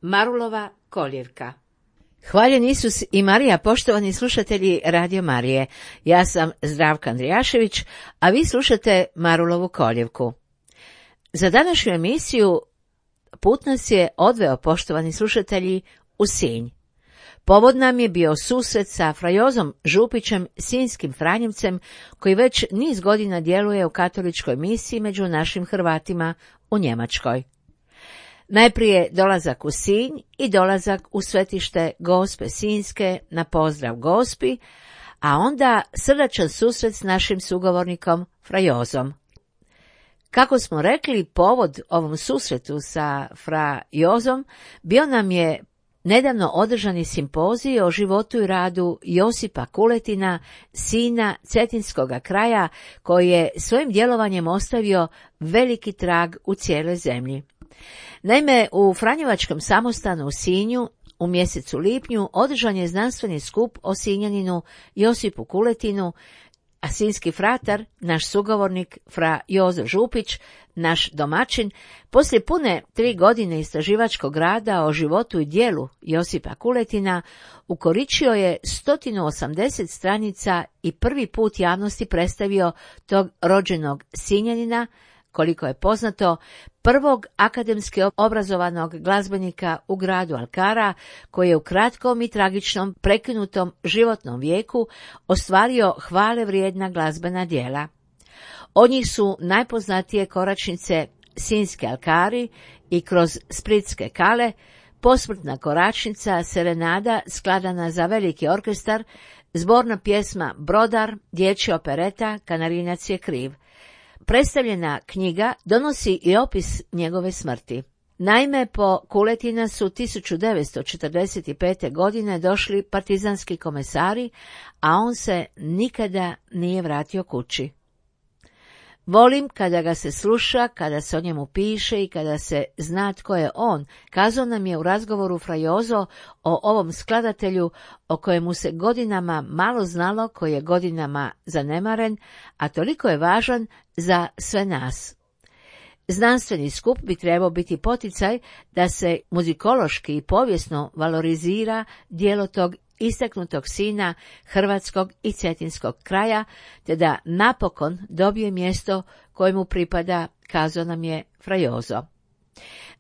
Marulova koljevka. Hvaljen Isus i Marija, poštovani slušatelji Radio Marije. Ja sam Zdravka Andrijašević, a vi slušate Marulovu koljevku. Za današnju emisiju put nas je odveo, poštovani slušatelji, u Sinj. Povod nam je bio susret sa fra Jozom Župićem, sinjskim franjevcem, koji već niz godina djeluje u katoličkoj misiji među našim Hrvatima u Njemačkoj. Najprije dolazak u Sinj i dolazak u svetište Gospe Sinjske na pozdrav Gospi, a onda srdačan susret s našim sugovornikom fra Jozom. Kako smo rekli, povod ovom susretu sa fra Jozom bio nam je nedavno održani simpozij o životu i radu Josipa Kuletina, sina cetinskoga kraja, koji je svojim djelovanjem ostavio veliki trag u cijeloj zemlji. Naime, u Franjevačkom samostanu u Sinju u mjesecu lipnju održan je znanstveni skup o Sinjaninu Josipu Kuletinu, a sinjski fratar, naš sugovornik fra Jozo Župić, naš domaćin, poslije pune 3 godine istraživačkog rada o životu i djelu Josipa Kuletina, ukoričio je 180 stranica i prvi put javnosti predstavio tog rođenog Sinjanina, koliko je poznato, prvog akademski obrazovanog glazbenika u gradu Alkara, koji je u kratkom i tragičnom prekinutom životnom vijeku ostvario hvale vrijedna glazbena djela. Od njih su najpoznatije koračnice Sinjske Alkari i kroz Splitske kale, posmrtna koračnica Serenada skladana za veliki orkestar, zborna pjesma Brodar, dječja opereta Kanarinac je kriv. Predstavljena knjiga donosi i opis njegove smrti. Naime, po Kuletina su 1945. godine došli partizanski komesari, a on se nikada nije vratio kući. Volim kada ga se sluša, kada se o njemu piše i kada se zna tko je on, kazao nam je u razgovoru fra Jozo o ovom skladatelju o kojemu se godinama malo znalo, koji je godinama zanemaren, a toliko je važan za sve nas. Znanstveni skup bi trebao biti poticaj da se muzikološki i povijesno valorizira djelo tog istaknutog sina hrvatskog i cetinskog kraja, te da napokon dobije mjesto kojemu pripada, kazao nam je fra Jozo.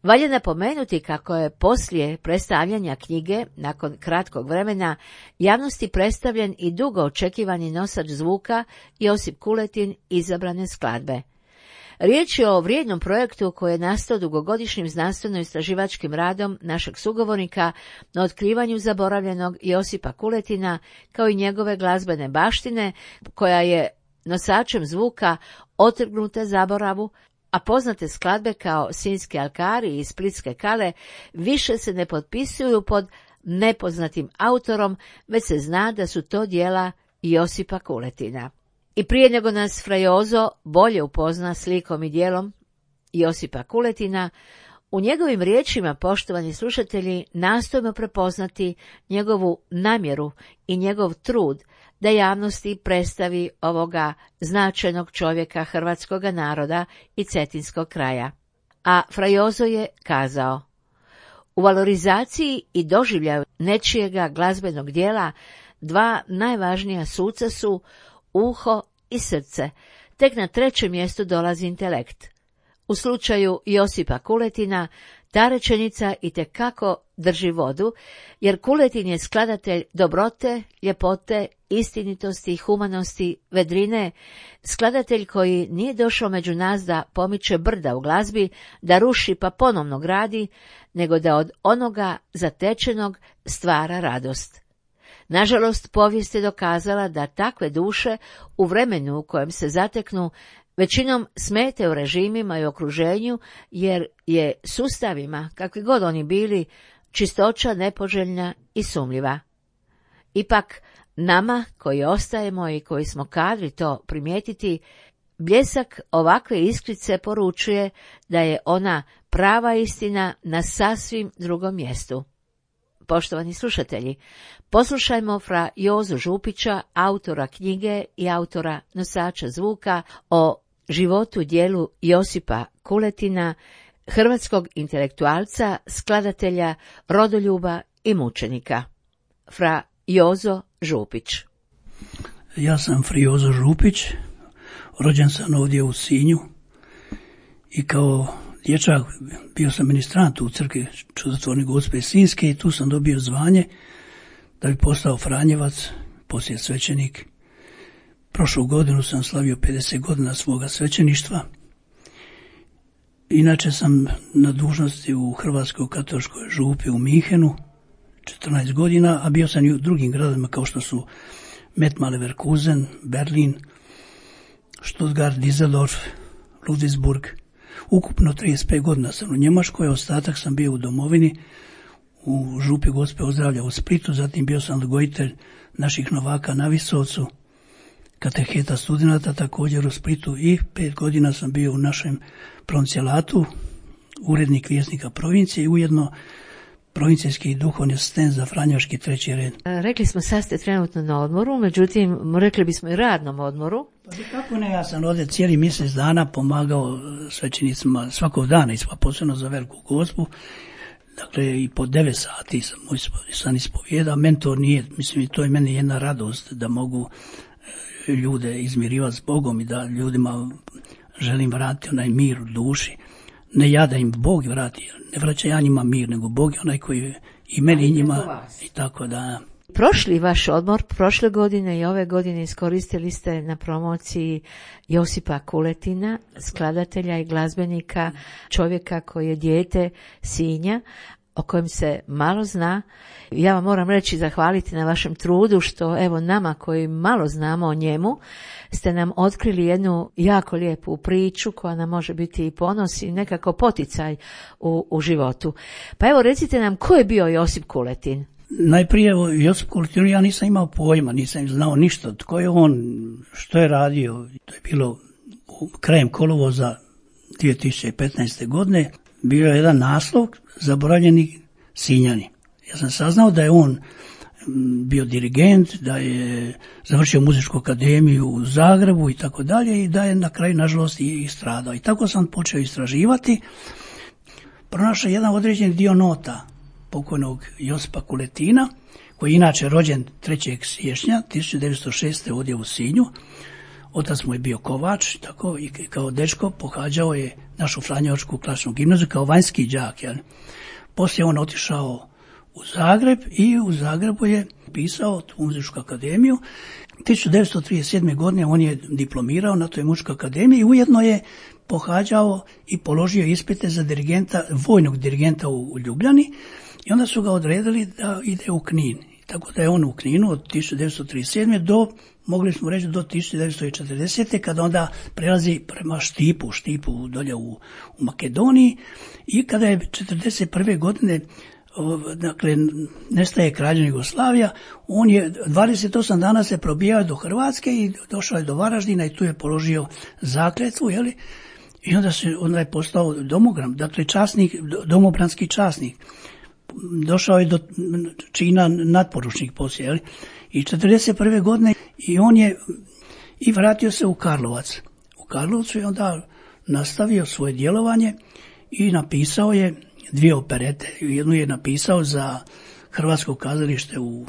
Valja napomenuti kako je poslije predstavljanja knjige, nakon kratkog vremena, javnosti predstavljen i dugo očekivani nosač zvuka Josip Kuletin izabrane skladbe. Riječ je o vrijednom projektu koji je nastao dugogodišnjim znanstveno-istraživačkim radom našeg sugovornika na otkrivanju zaboravljenog Josipa Kuletina, kao i njegove glazbene baštine, koja je nosačem zvuka otrgnuta zaboravu, a poznate skladbe kao Sinjske Alkari i Splitske kale više se ne potpisuju pod nepoznatim autorom, već se zna da su to djela Josipa Kuletina. I prije nego nas fra Jozo bolje upozna slikom i djelom Josipa Kuletina, u njegovim riječima, poštovani slušatelji, nastojimo prepoznati njegovu namjeru i njegov trud da javnosti predstavi ovoga značajnog čovjeka hrvatskoga naroda i cetinskog kraja. A fra Jozo je kazao: u valorizaciji i doživljaju nečijega glazbenog djela dva najvažnija suca su uho i srce, tek na 3. mjestu dolazi intelekt. U slučaju Josipa Kuletina ta rečenica itekako drži vodu, jer Kuletin je skladatelj dobrote, ljepote, istinitosti, humanosti, vedrine, skladatelj koji nije došao među nas da pomiče brda u glazbi, da ruši pa ponovno gradi, nego da od onoga zatečenog stvara radost. Nažalost, povijest je dokazala da takve duše u vremenu u kojem se zateknu većinom smete u režimima i okruženju, jer je sustavima, kakvi god oni bili, čistoća nepoželjna i sumnjiva. Ipak, nama koji ostajemo i koji smo kadri to primijetiti, bljesak ovakve iskrice poručuje da je ona prava istina na sasvim drugom mjestu. Poštovani slušatelji, poslušajmo fra Jozu Župića, autora knjige i autora nosača zvuka o životu djelu Josipa Kuletina, hrvatskog intelektualca, skladatelja, rodoljuba i mučenika. Fra Jozo Župić. Ja sam Fra Jozo Župić, rođen sam ovdje u Sinju i kao dječak bio sam ministrant u crkvi Čudotvorne Gospe Sinjske i tu sam dobio zvanje da bi postao Franjevac, poslije svećenik. Prošlu godinu sam slavio 50 godina svoga svećeništva. Inače sam na dužnosti u Hrvatskoj katoličkoj župi u Minhenu 14 godina, a bio sam i u drugim gradovima kao što su Mettmann Leverkusen, Berlin, Stuttgart, Düsseldorf, Ludwigsburg. Ukupno 35 godina sam u Njemačkoj, ostatak sam bio u domovini, u župi Gospe Ozdravlja u Splitu, zatim bio sam odgojitelj naših novaka na Visovcu, kateheta studenata također u Splitu i 5 godina sam bio u našem provincijatu, urednik Vjesnika provincije i ujedno provincijski duhovni asistent za franjevački 3. red. Rekli smo sad ste trenutno na odmoru, međutim rekli bismo i radnom odmoru. Pa kako ne, ja sam ovdje cijeli mjesec dana pomagao svećenicima svakog dana, posebno za Veliku Gospu. Dakle, i po 9 sati sam ispovijeda. Mentor nije, mislim, to je meni jedna radost da mogu ljude izmirivati s Bogom i da ljudima želim vratiti onaj mir u duši. Ne ja da im Bog vrati, ne vraća ja njima mir, nego Bog je onaj koji i meni i njima i tako da. Prošli vaš odmor, prošle godine i ove godine iskoristili ste na promociji Josipa Kuletina, skladatelja i glazbenika, čovjeka koji je dijete Sinja, o kojem se malo zna. Ja vam moram reći zahvaliti na vašem trudu što evo nama koji malo znamo o njemu ste nam otkrili jednu jako lijepu priču koja nam može biti i ponos i nekako poticaj u životu. Pa evo recite nam ko je bio Josip Kuletin? Najprije Josip Kuletin, ja nisam imao pojma, nisam znao ništa. Tko je on, što je radio? To je bilo krajem kolovoza 2015. godine. Bio je jedan naslov Zaboravljeni Sinjani. Ja sam saznao da je on bio dirigent, da je završio muzičku akademiju u Zagrebu i tako dalje i da je na kraju nažalost i stradao. I tako sam počeo istraživati. Pronašao jedan određeni dio nota pokojnog Josipa Kuletina, koji je inače rođen 3. siječnja 1906. ovdje u Sinju. Otac mu je bio kovač, tako i kao dečko pohađao je našu franjevačku klasičnu gimnaziju kao vanjski đak. Jel? Poslije on otišao u Zagreb i u Zagrebu je pisao tu muzičku akademiju. 1937. godine on je diplomirao na toj muzičkoj akademiji i ujedno je pohađao i položio ispite za dirigenta, vojnog dirigenta u Ljubljani i onda su ga odredili da ide u Knin. Tako da je on u Kninu od 1937. do, mogli smo reći, do 1940. kada onda prelazi prema Štipu dolje u Makedoniji i kada je 1941. godine dakle, nestaje Kraljevina Jugoslavija, on je 28 dana se probijao do Hrvatske i došao je do Varaždina i tu je položio zakletvu, jeli? I onda je postao domogram, dakle časnik, domobranski časnik. Došao je do čina natporučnik poslije, jeli? I 1941. godine i on je i vratio se u Karlovac. U Karlovcu je onda nastavio svoje djelovanje i napisao je 2 operete. Jednu je napisao za Hrvatsko kazalište u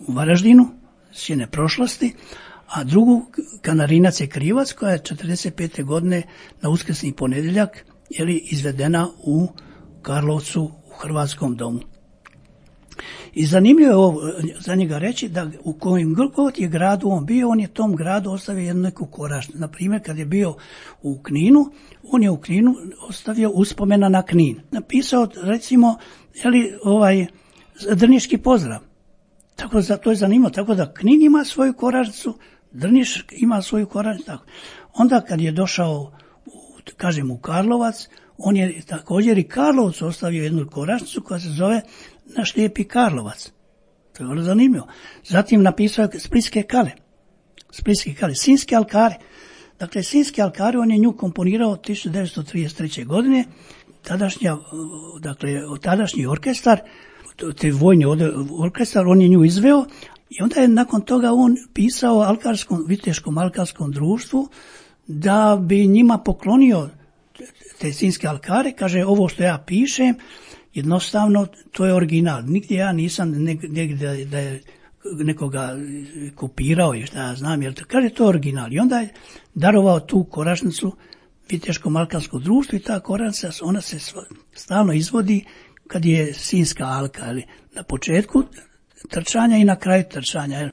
Varaždinu, Sjene prošlosti, a drugu Kanarinac je krivac, koja je 1945. godine na uskrsni ponedjeljak izvedena u Karlovcu u Hrvatskom domu. I zanimljivo je ovo za njega reći da u kojem god je gradu on bio, on je tom gradu ostavio jednu neku koračnicu. Na primjer, kad je bio u Kninu, on je u Kninu ostavio uspomena na Knin. Napisao, recimo, Drniški pozdrav. Tako da to je zanimljivo. Tako da Knin ima svoju koračnicu, Drniš ima svoju koračnicu. Tako. Onda kad je došao, u Karlovac, on je također i Karlovcu ostavio jednu koračnicu koja se zove Naš lijepi Karlovac. To je vrlo zanimljivo. Zatim napisao je Splitske kale, Sinjske alkare. Dakle, Sinjske alkare on je nju komponirao 1933. godine. Tadašnji orkestar, te vojni orkestar, on je nju izveo i onda je nakon toga on pisao Viteškom alkarskom društvu da bi njima poklonio te sinjske alkare, kaže ovo što ja pišem, jednostavno to je original. Nigdje ja nisam negdje da je nekoga kopirao i šta ja znam, jer kaže to je original. I onda je darovao tu koračnicu Viteško-Alkarskom društvu i ta koračnica, ona se stalno izvodi kad je sinjska alka, ali na početku trčanja i na kraju trčanja.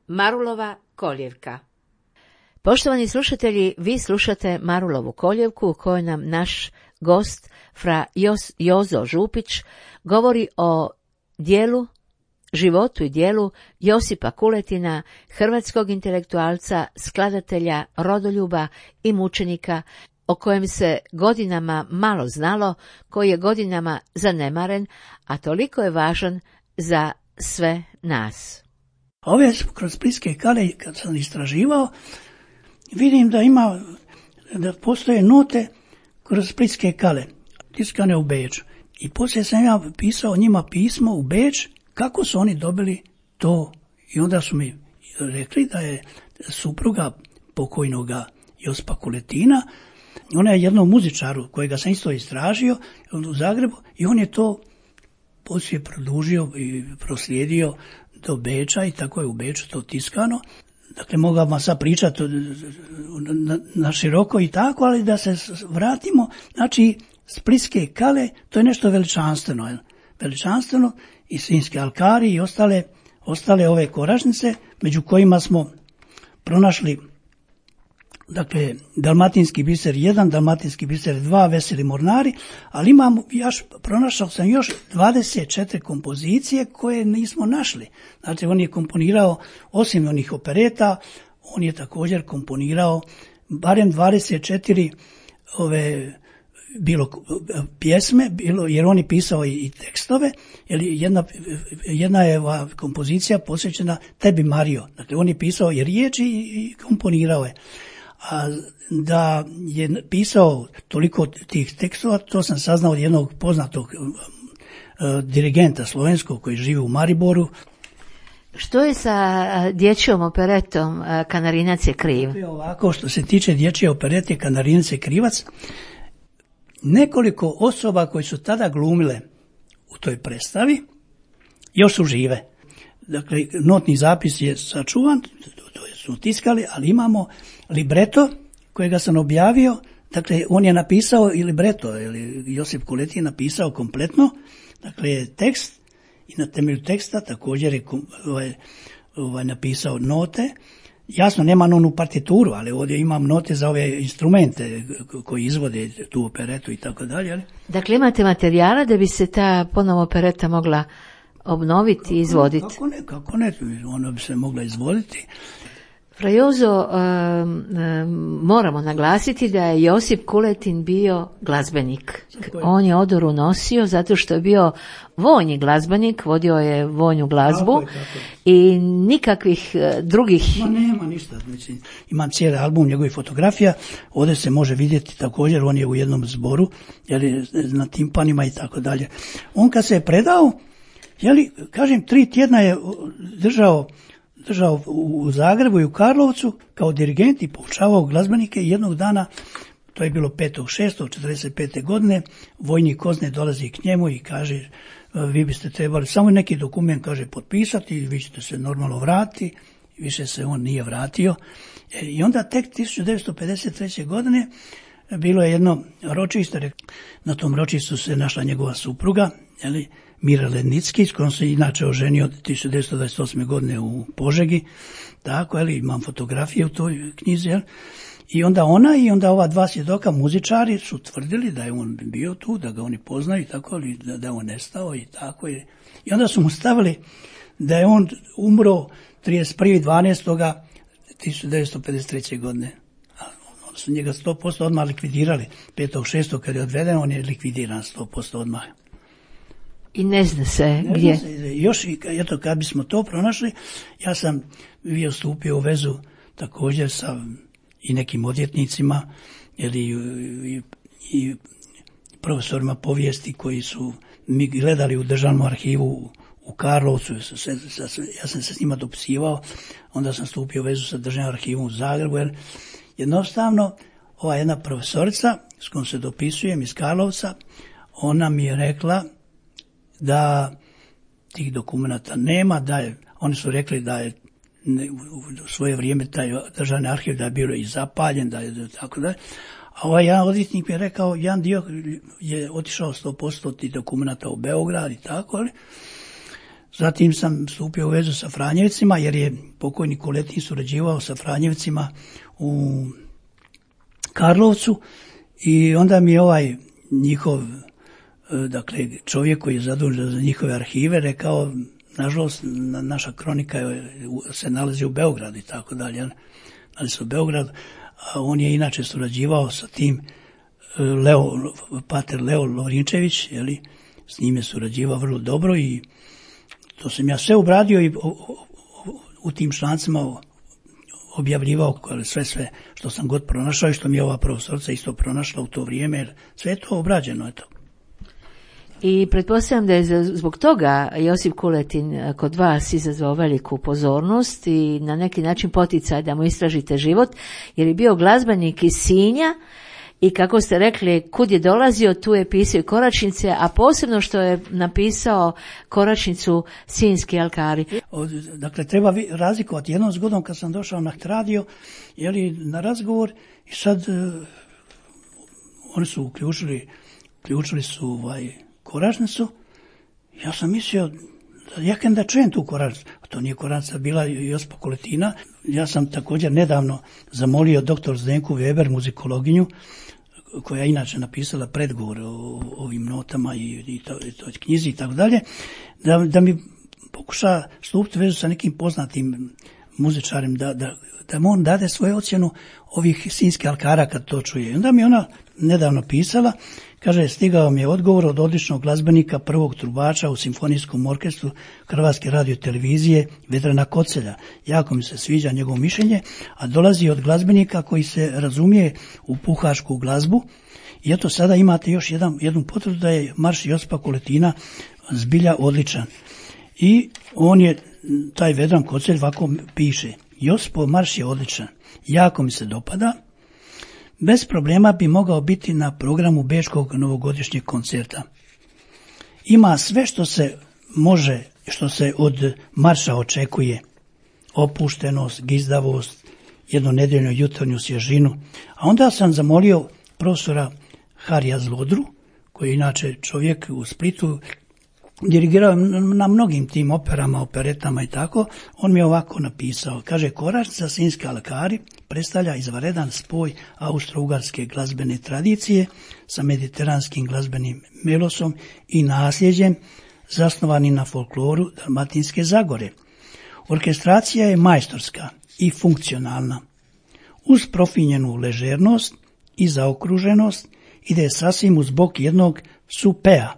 Marulova koljevka. Poštovani slušatelji, vi slušate Marulovu koljevku u kojoj nam naš gost, fra Jozo Župić, govori o dijelu, životu i dijelu Josipa Kuletina, hrvatskog intelektualca, skladatelja, rodoljuba i mučenika, o kojem se godinama malo znalo, koji je godinama zanemaren, a toliko je važan za sve nas. Ove kroz splitske kale, kad sam istraživao, vidim da postoje note kroz splitske kale, tiskane u Beču. I poslije sam ja pisao njima pismo u Beč, kako su oni dobili to. I onda su mi rekli da je supruga pokojnoga Josipa Kuletina, ona je jednom muzičaru kojega sam isto istražio u Zagrebu, i on je to poslije produžio i proslijedio do Beča i tako je u Beču to tiskano. Dakle, mogu vam sad pričati na široko i tako, ali da se vratimo, znači splitske kale, to je nešto veličanstveno. Veličanstveno i sinjske alkari i ostale ove koračnice, među kojima smo pronašli, dakle, Dalmatinski biser 1, Dalmatinski biser 2, Veseli mornari, ali pronašao sam još 24 kompozicije koje nismo našli. Znači, on je komponirao, osim onih opereta, on je također komponirao barem 24 bilo pjesme, jer on je pisao i tekstove, jer jedna je kompozicija posvećena Tebi Mario. Dakle, on je pisao i riječi i komponirao je. A da je pisao toliko tih tekstova, to sam saznao od jednog poznatog dirigenta slovenskog koji živi u Mariboru. Što je sa dječjom operetom Kanarinac je kriv? Ovako, što se tiče dječje operete Kanarinac je krivac, nekoliko osoba koji su tada glumile u toj predstavi još su žive. Dakle, notni zapis je sačuvan, to su tiskali, ali imamo libreto kojega sam objavio. Dakle, on je napisao i libreto, Josip Kuletin je napisao kompletno, dakle, tekst i na temelju teksta također je napisao note. Jasno, nema onu partituru, ali ovdje imam note za ove instrumente koji izvode tu operetu i tako dalje. Dakle, imate materijala da bi se ta ponovo opereta mogla obnoviti i izvoditi? Kako ne, ona bi se mogla izvoditi. Fra Jozo, moramo naglasiti da je Josip Kuletin bio glazbenik. On je odoru nosio zato što je bio vojni glazbenik, vodio je vojnu glazbu i nikakvih drugih... Nema ništa. Znači, imam cijeli album njegovih fotografija, ovdje se može vidjeti također, on je u jednom zboru, na timpanima i tako dalje. On kad se je predao, kažem, 3 tjedna je držao u Zagrebu i u Karlovcu kao dirigent i poučavao glazbenike i jednog dana, to je bilo 5.6.45. godine, vojnik Kozne dolazi k njemu i kaže, vi biste trebali samo neki dokument, kaže, potpisati i vi ćete se normalno vratiti. Više se on nije vratio. I onda tek 1953. godine bilo je jedno ročište, na tom ročištu se našla njegova supruga, Mira Lednicki, s kojom se inače oženio 1928. godine u Požegi, tako, imam fotografije u toj knjizi, i onda ona i onda ova 2 svjedoka, muzičari, su tvrdili da je on bio tu, da ga oni poznaju i tako, ali da je on nestao i tako. I onda su mu stavili da je on umro 31.12.1953. godine. Onda su njega 100% odmah likvidirali. 5.6. kad je odveden, on je likvidiran 100% odmah. I ne zna se gdje. Još, eto, kad bismo to pronašli, ja sam bio stupio u vezu također sa i nekim odvjetnicima, i profesorima povijesti koji su mi gledali u državnom arhivu u Karlovcu. Ja sam se s njima dopisivao, onda sam stupio u vezu sa državnim arhivom u Zagrebu, jer jednostavno ova jedna profesorica s kojom se dopisujem iz Karlovca, ona mi je rekla da tih dokumenta nema, oni su rekli da je u svoje vrijeme taj državni arhiv da je bio i zapaljen, da je tako da. A ovaj jedan odvjetnik mi je rekao, jedan dio je otišao 100% tih dokumenta u Beograd i tako, ali zatim sam stupio u vezu sa Franjevcima, jer je pokojni Kuletin surađivao sa Franjevcima u Karlovcu i onda mi je ovaj njihov, dakle, čovjek koji je zadužen za njihove arhive rekao, nažalost, naša kronika se nalazi u Beogradu i tako dalje, nalazi se u Beogradu, a on je inače surađivao sa tim pater Leo Lovrinčević, s njim je surađivao vrlo dobro i to sam ja sve obradio i u tim člancima objavljivao sve što sam god pronašao i što mi je ova profesorica isto pronašla u to vrijeme, jer sve je to obrađeno, eto. I pretpostavljam da je zbog toga Josip Kuletin kod vas izazvao veliku pozornost i na neki način poticaj da mu istražite život, jer je bio glazbenik iz Sinja i kako ste rekli, kud je dolazio, tu je pisao i koračnice, a posebno što je napisao koračnicu Sinjski alkari. Dakle, treba razlikovati. Jednom zgodom kad sam došao na radio, na razgovor, i sad oni su uključili su koračnicu, ja sam mislio da čujem tu koračnicu, a to nije koračnica bila Josipa Kuletina. Ja sam također nedavno zamolio doktor Zdenku Weber, muzikologinju, koja je inače napisala predgovor o ovim notama i toj knjizi i tako dalje, da mi pokuša stupiti vezu sa nekim poznatim muzičarem da on dade svoju ocjenu ovih Sinjskih alkara kad to čuje. I onda mi ona nedavno pisala, kaže, stigao mi je odgovor od odličnog glazbenika, prvog trubača u simfonijskom orkestru Hrvatske radiotelevizije Vedrana Kocelja. Jako mi se sviđa njegovo mišljenje, a dolazi od glazbenika koji se razumije u puhašku glazbu. I eto, sada imate još jednu potvrdu da je marš Josipa Koletina zbilja odličan. I on je, taj Vedran Kocelj, ovako piše: Josipov marš je odličan, jako mi se dopada, bez problema bi mogao biti na programu bečkog novogodišnjeg koncerta. Ima sve što se može, što se od marša očekuje: opuštenost, gizdavost, jednonedeljnu jutarnju svježinu. A onda sam zamolio profesora Harija Zlodru, koji je inače čovjek u Splitu, dirigirao na mnogim tim operama, operetama i tako. On mi je ovako napisao, kaže: Koražnica Sinjski alkari predstavlja izvanredan spoj austro-ugarske glazbene tradicije sa mediteranskim glazbenim melosom i nasljeđem zasnovani na folkloru Dalmatinske Zagore. Orkestracija je majstorska i funkcionalna. Uz profinjenu ležernost i zaokruženost ide sasvim uz bok jednog supea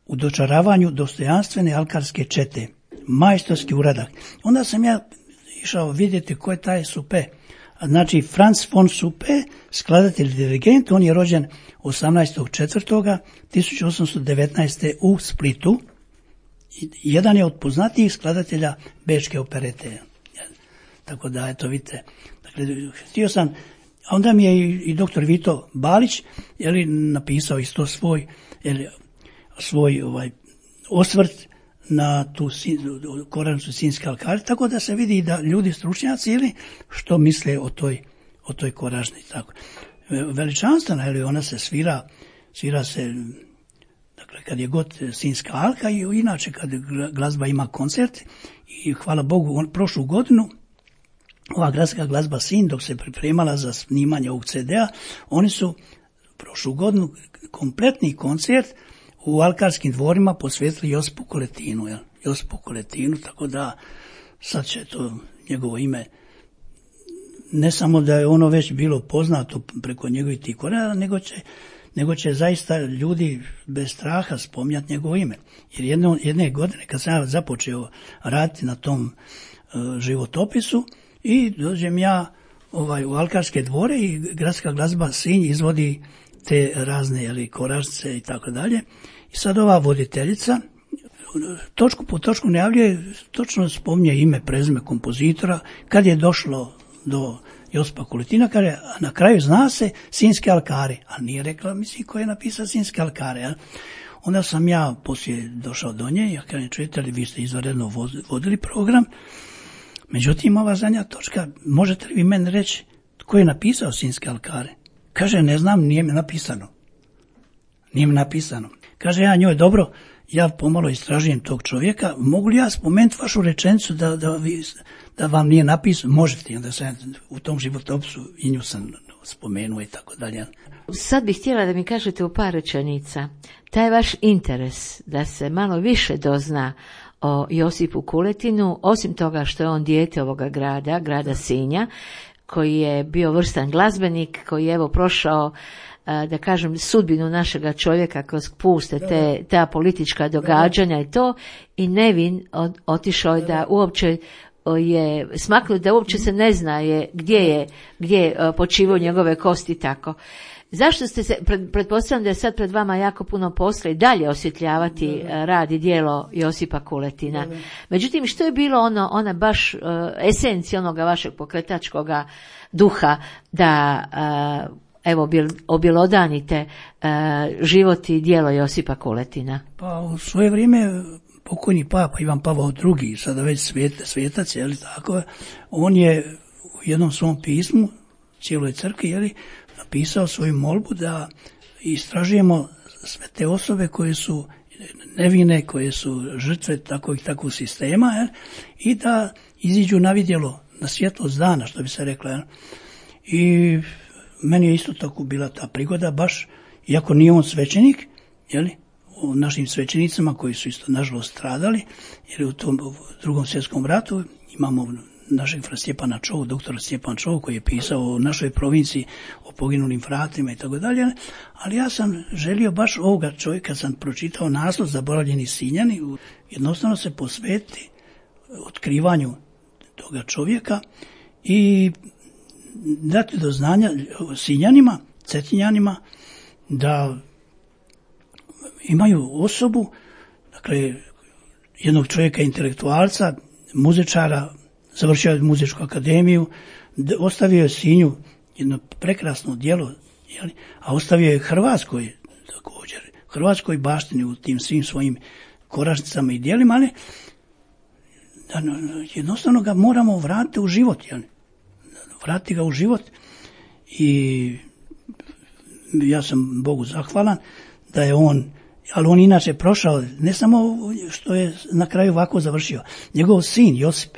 u dočaravanju dostojanstvene alkarske čete. Majstorski uradak. Onda sam ja išao vidjeti ko je taj supe. Znači, Franz von Supe, skladatelj dirigent, on je rođen 18.4.1819. u Splitu. Jedan je od poznatijih skladatelja bečke operete. Tako da, eto, vidite. Dakle, htio sam, a onda mi je i doktor Vito Balić napisao isto svoj osvrt na tu koražnicu Sinjske alkari, tako da se vidi da ljudi stručnjaci što misle o toj koražnici. Tako. Veličanstvena, ona se svira se, dakle, kad je god Sinjska alka, i inače kad glazba ima koncert. I hvala Bogu, prošlu godinu ova gradska glazba Sinj, dok se pripremala za snimanje ovog CD-a, oni su prošlu godinu kompletni koncert u alkarskim dvorima posvetili Josipu Koletinu. Josipu Koletinu, tako da sad će to njegovo ime, ne samo da je ono već bilo poznato preko njegovih tih korena, nego će zaista ljudi bez straha spominjati njegovo ime. Jer jedne godine kad sam započeo raditi na tom životopisu, i dođem ja u alkarske dvore i gradska glazba Sinj izvodi te razne koražnice i tako dalje. I sad ova voditeljica točku po točku najavljuje, točno spominje ime, prezime kompozitora, kad je došlo do Josipa Koletina, a na kraju zna se Sinjske alkare, a nije rekla, mislim, ko je napisao Sinjske alkare. Onda sam ja poslije došao do nje, ja kažem, čujete li, vi ste izvanredno vodili program, međutim, ova zadnja točka, možete li vi meni reći tko je napisao Sinjske alkare? Kaže, ne znam, nije mi napisano. Kaže, ja njoj, dobro, ja pomalo istražujem tog čovjeka, mogu li ja spomenuti vašu rečenicu da vam nije napisano? Možete, onda sam u tom životopisu i nju sam spomenuo i tako dalje. Sad bih htjela da mi kažete u par rečenica, taj vaš interes da se malo više dozna o Josipu Koletinu, osim toga što je on dijete ovoga grada Sinja, koji je bio vrstan glazbenik, koji je prošao, da kažem, sudbinu našega čovjeka kroz puste ta politička događanja i to, i nevin otišao je da uopće je smaknut, da uopće se ne zna gdje je počivao njegove kosti tako. Zašto ste se, pretpostavljam da je sad pred vama jako puno posla i dalje osvjetljavati rad i djelo Josipa Koletina. Međutim, što je bilo ona baš esencija onoga vašeg pokretačkoga duha da objelodanite život i djelo Josipa Koletina? Pa u svoje vrijeme pokojni papa Ivan Pavao II, sada već svjetac, tako, on je u jednom svom pismu cijeloj crkvi, napisao svoju molbu da istražujemo sve te osobe koje su nevine, koje su žrtve takvog sistema, i da iziđu na vidjelo, na svjetlost dana, što bi se rekla. I meni je isto tako bila ta prigoda, baš, iako nije on svećenik, u našim svećenicama koji su isto nažalost stradali, jer u tom Drugom svjetskom ratu imamo našeg fra Stjepana Čovu, doktora Stjepan Čov, koji je pisao o našoj provinciji, o poginulim fratima i tako dalje, ali ja sam želio baš ovoga čovjeka, kad sam pročitao naslov Zaboravljeni Sinjani, jednostavno se posvetiti otkrivanju toga čovjeka i dati do znanja Sinjanima, Cetinjanima, da imaju osobu, dakle, jednog čovjeka intelektualca, muzičara, završio je muzičku akademiju, ostavio je Sinju jedno prekrasno djelo, a ostavio je Hrvatskoj također, Hrvatskoj baštini u tim svim svojim koračnicama i djelima, ali jednostavno ga moramo vratiti u život, vratiti ga u život i ja sam Bogu zahvalan da je on, ali on inače prošao, ne samo što je na kraju ovako završio, njegov sin Josip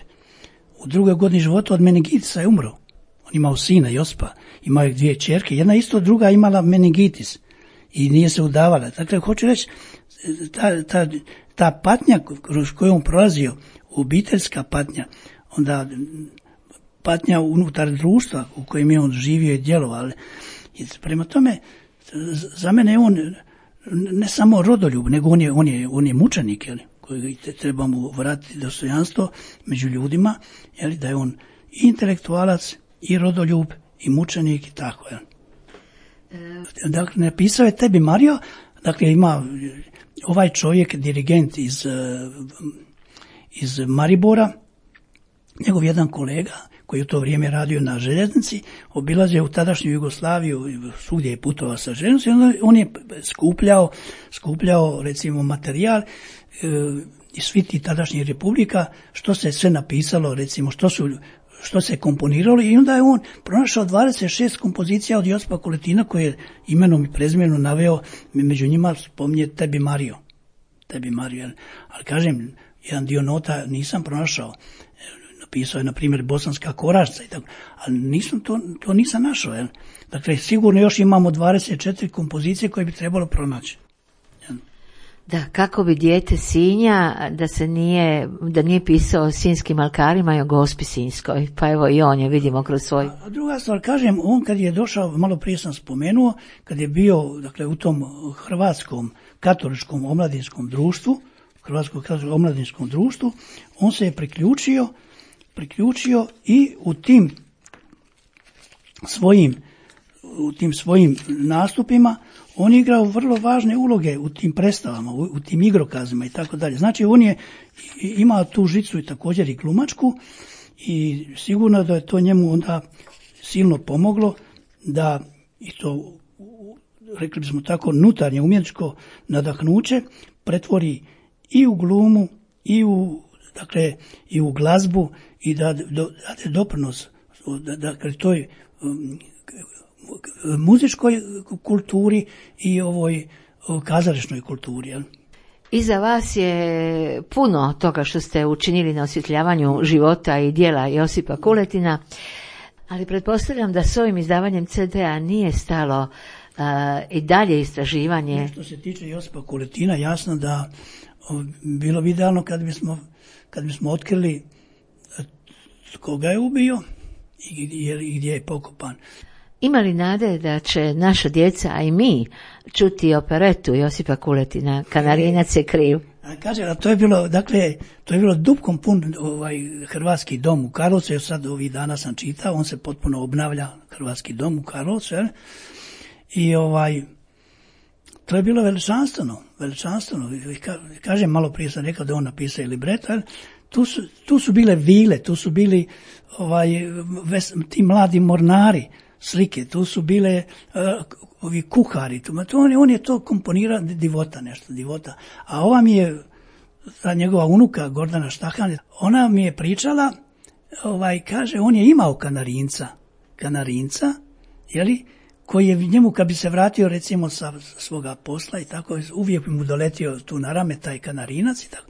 u 2. godini života od meningitisa je umro. On imao sina Josipa, imao je 2 ćerke, jedna isto, druga imala meningitis i nije se udavala. Dakle, hoću reći, ta patnja kroz koju on prolazio, obiteljska patnja, onda patnja unutar društva u kojem je on živio i djelovao. Prema tome, za mene je on ne samo rodoljub, nego on je mučenik, koji treba mu vratiti dostojanstvo među ljudima, da je on i intelektualac, i rodoljub, i mučenik, i tako. Dakle, napisao je Tebi Mario, dakle, ima ovaj čovjek, dirigent iz Maribora, njegov jedan kolega, koji je u to vrijeme radio na željeznici, obilazio u tadašnju Jugoslaviju, svugdje je putovao sa željeznicom, on je skupljao recimo materijal iz svih tih tadašnjih republika, što se sve napisalo, recimo što se komponiralo, i onda je on pronašao 26 kompozicija od Josipa Kuletina, koje je imenom i prezimenom naveo, među njima spominje Tebi Mario, ali kažem, jedan dio nota nisam pronašao. Pisao je, na primjer, Bosanska korašca i tako, ali to nisam našao. Dakle, sigurno još imamo 24 kompozicije koje bi trebalo pronaći. Da, kako bi dijete Sinja da nije pisao o sinjskim alkarima i o Gospi Sinjskoj, pa evo i on je vidimo kroz svoj... A druga stvar, kažem, on kad je došao, malo prije sam spomenuo, kad je bio, dakle, u tom hrvatskom katoličkom omladinskom društvu, on se je priključio i u tim svojim nastupima on je igrao vrlo važne uloge u tim predstavama, u tim igrokazima i tako dalje. Znači, on je imao tu žicu i također i glumačku i sigurno da je to njemu onda silno pomoglo da i to, rekli bismo tako, unutarnje umjetničko nadahnuće pretvori i u glumu i u glazbu i da dade doprinos toj muzičkoj kulturi i ovoj kazališnoj kulturi. Iza vas je puno toga što ste učinili na osvjetljavanju života i djela Josipa Kuletina, ali pretpostavljam da s ovim izdavanjem CD-a nije stalo i dalje istraživanje. Što se tiče Josipa Kuletina, jasno da bilo bi idealno kad bismo otkrili koga je ubio i gdje je pokopan. Ima li nade da će naša djeca, a i mi, čuti operetu Josipa Kuletina, Kanarinac je kriv? Kaže, a to je bilo dupkom pun Hrvatski dom u Karlovcu, jer sad ovih dana sam čitao, on se potpuno obnavlja, Hrvatski dom u Karlovcu, i to je bilo veličanstveno. Kažem, malo prije sam rekao da on napisao libreto, tu su bile vile, tu su bili ti mladi mornari, slike, tu su bile ovi kuhari, on je to komponirao, divota. A ova mi je, ta njegova unuka Gordana Štahan, ona mi je pričala, kaže, on je imao kanarinca, koji je njemu, kad bi se vratio recimo sa svoga posla i tako, uvijek bi mu doletio tu na rame taj kanarinac i tako.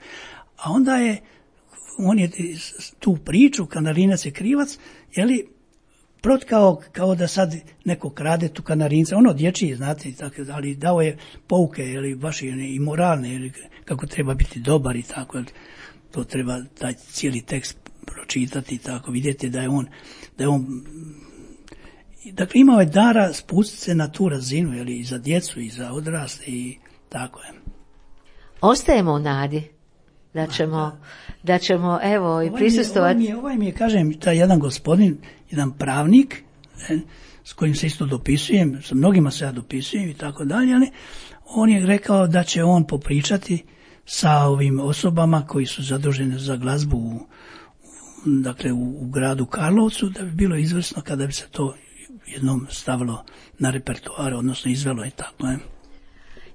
A onda on je tu priču, kanarinac je krivac, protkao kao da sad neko krade tu kanarinca, ono dječji, znate, tako, ali dao je pouke, baš i moralne, kako treba biti dobar i tako, to treba taj cijeli tekst pročitati i tako, vidjeti da je on dakle imao je dara spustiti se na tu razinu, jeli, i za djecu i za odrasle i tako je. Ostajemo u nadi da ćemo evo i prisustovati. Ovaj mi je, kažem, taj jedan gospodin, jedan pravnik, s kojim se isto dopisujem, sa mnogima se ja dopisujem i tako dalje, ali on je rekao da će on popričati sa ovim osobama koji su zaduženi za glazbu u gradu Karlovcu, da bi bilo izvrsno kada bi se to jednom stavilo na repertoar, odnosno izvelo i tako.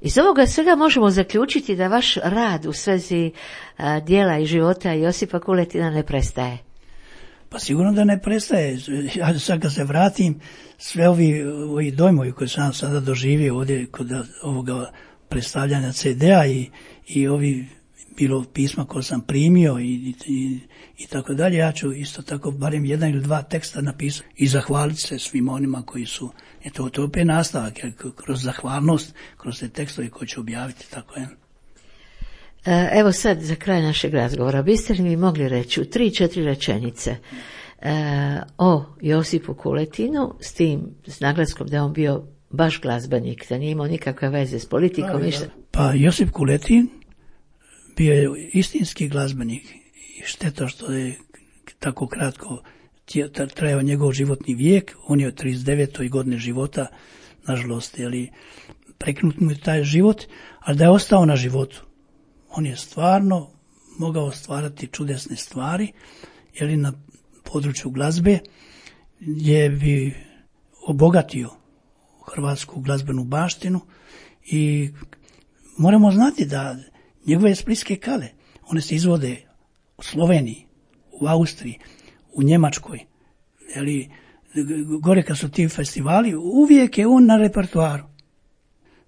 Iz ovoga svega možemo zaključiti da vaš rad u svezi djela i života Josipa Kuletina ne prestaje. Pa sigurno da ne prestaje. Ja sad kad se vratim, sve ovi dojmovi koje sam sada doživio ovdje kod ovoga predstavljanja CD-a i ovi bilo pisma koje sam primio i tako dalje, ja ću isto tako barem 1 ili 2 teksta napisati i zahvaliti se svim onima koji su, to je opet nastavak, jer kroz zahvalnost, kroz te tekstove koje ću objaviti, tako je. Evo sad za kraj našeg razgovora, biste li mi mogli reći u 3-4 rečenice o Josipu Kuletinu, s naglaskom da je on bio baš glazbenik, da nije imao nikakve veze s politikom, ništa? Pa Josip Kuletin bio je istinski glazbenik i šteta što je tako kratko trajao njegov životni vijek. On je od 39. godine života, nažalost, prekinut mu je taj život, ali da je ostao na životu. On je stvarno mogao stvarati čudesne stvari, na području glazbe je bi obogatio hrvatsku glazbenu baštinu i moramo znati da njegove splitske kale, one se izvode u Sloveniji, u Austriji, u Njemačkoj, gore kad su ti festivali, uvijek je on na repertoaru.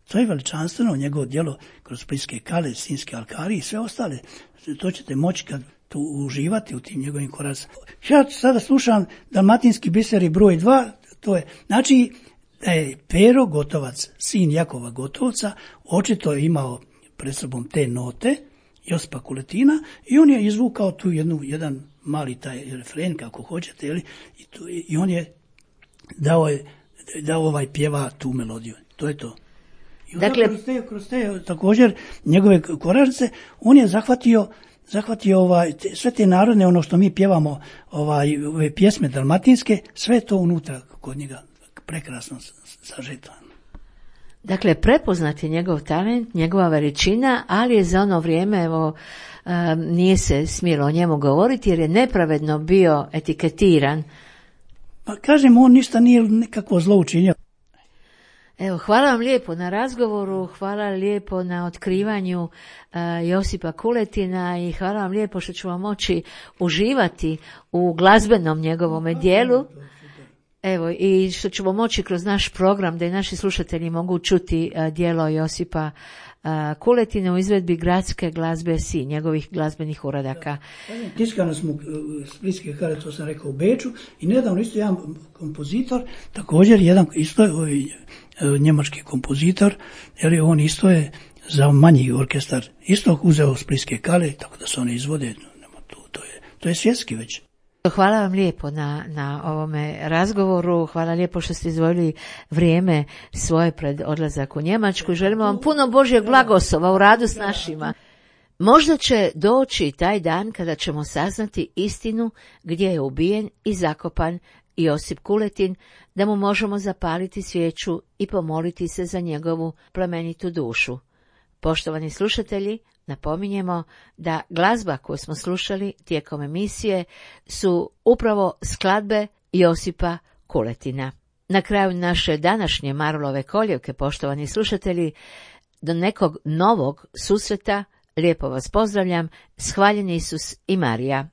To je veličanstveno, njegovo djelo kroz splitske kale, Sinjske alkari i sve ostale. To ćete moći kad tu uživati u tim njegovim koracima. Ja sada slušam Dalmatinski biseri broj 2, to je, znači da je Pero Gotovac, sin Jakova Gotovca, očito je imao pred sobom te note Josipa Kuletina i on je izvukao tu jedan mali taj refren, kako hoćete, i on je dao pjeva tu melodiju. To je to. I dakle, kroz te također njegove koražnice on je zahvatio sve te narodne, ono što mi pjevamo, ove pjesme dalmatinske, sve to unutra kod njega prekrasno sažeto. Dakle, prepoznat je njegov talent, njegova veličina, ali je za ono vrijeme, nije se smjelo o njemu govoriti jer je nepravedno bio etiketiran. Pa kažem, on ništa nije nekakvo zlo učinio. Evo, hvala vam lijepo na razgovoru, hvala lijepo na otkrivanju Josipa Kuletina i hvala vam lijepo što ćemo moći uživati u glazbenom njegovome dijelu. Evo, i što ćemo moći kroz naš program da i naši slušatelji mogu čuti djelo Josipa Kuletina u izvedbi Gradske glazbe Sinj, njegovih glazbenih uradaka. Tiskano smo splitske kale, to sam rekao, u Beču i nedavno isto jedan kompozitor, također jedan isto njemački kompozitor, jer on isto je za manji orkestar isto uzeo splitske kale, tako da se one izvode, to je svjetski već. Hvala vam lijepo na ovome razgovoru, hvala lijepo što ste izdvojili vrijeme svoje pred odlazak u Njemačku. Želimo vam puno Božjeg blagoslova u radu s našima. Možda će doći taj dan kada ćemo saznati istinu gdje je ubijen i zakopan Josip Kuletin, da mu možemo zapaliti svijeću i pomoliti se za njegovu plemenitu dušu. Poštovani slušatelji, napominjemo da glazba koju smo slušali tijekom emisije su upravo skladbe Josipa Kuletina. Na kraju naše današnje Marulove koljevke, poštovani slušatelji, do nekog novog susreta, lijepo vas pozdravljam, shvaljeni Isus i Marija.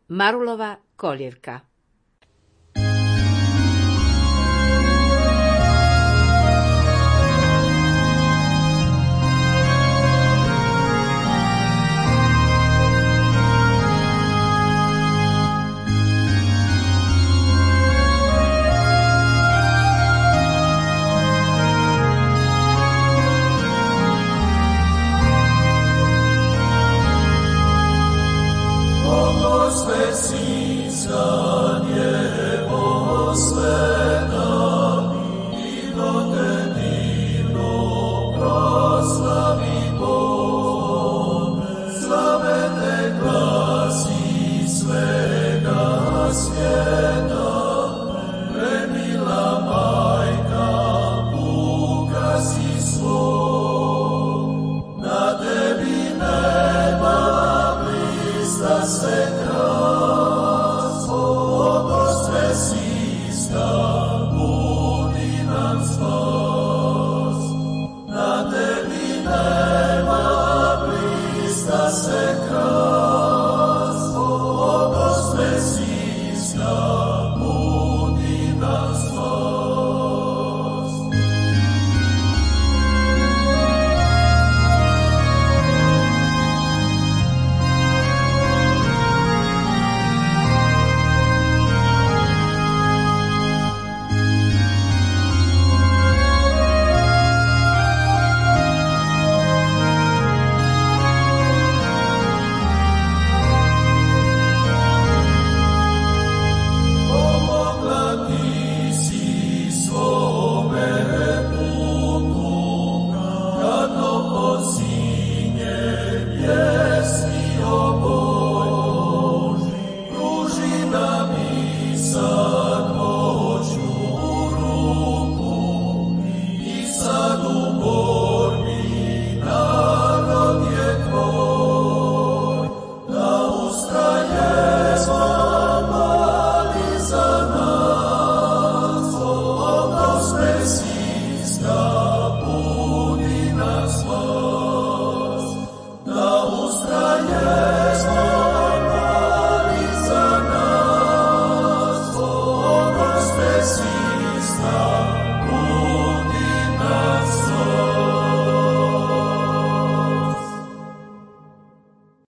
Marulova koljevka. Sveta